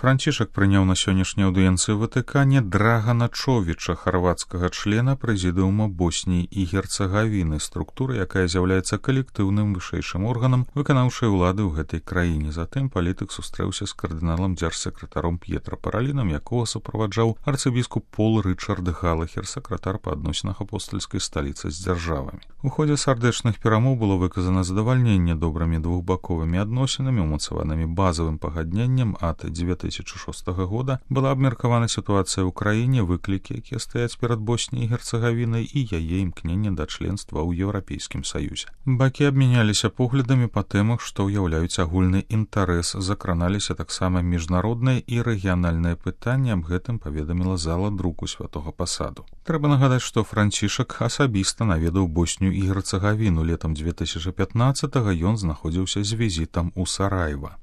Францішак прыняў на сённяшняй аўдыенцыі Ватыкане Драгана Човіча, харвацкага члена прэзідыума Боснії і Герцагавіны, структуры, якая з'яўляецца калектыўным вышэйшым органам выканаўчай улады ў гэтай краіне. Затым палітык сустрэўся з кардыналам дзяржсакратаром П'етра Паралінам, якога суправаджаў арцыбіскуп Пол Рычард Галахер, сакратар па адносінах апостальскай сталіцы з дзяржавамі. У ходзе сардэчных перамоў было выказана задавальненне добрымі двухбаковымі адносінамі, умацаванымі базавым пагадненнем ад 2006 года. Была абмеркавана сітуацыя ў краіне, выклікі, якія стаяць перад Босніяй і Герцагавінай і яе імкненне да членства ў Еўрапейскім саюзе. Бакі абмяняліся поглядамі па тэмах, што ўяўляюць агульны інтарэс, закраналіся таксама міжнародныя і рэгіянальныя пытанні, аб гэтым паведаміла зала друку Святога Пасаду. Трэба нагадаць, што Францішак асабіста наведаў Боснію і Герцагавіну. Летам 2015-го ён знаходзіўся з візітам у Сараева.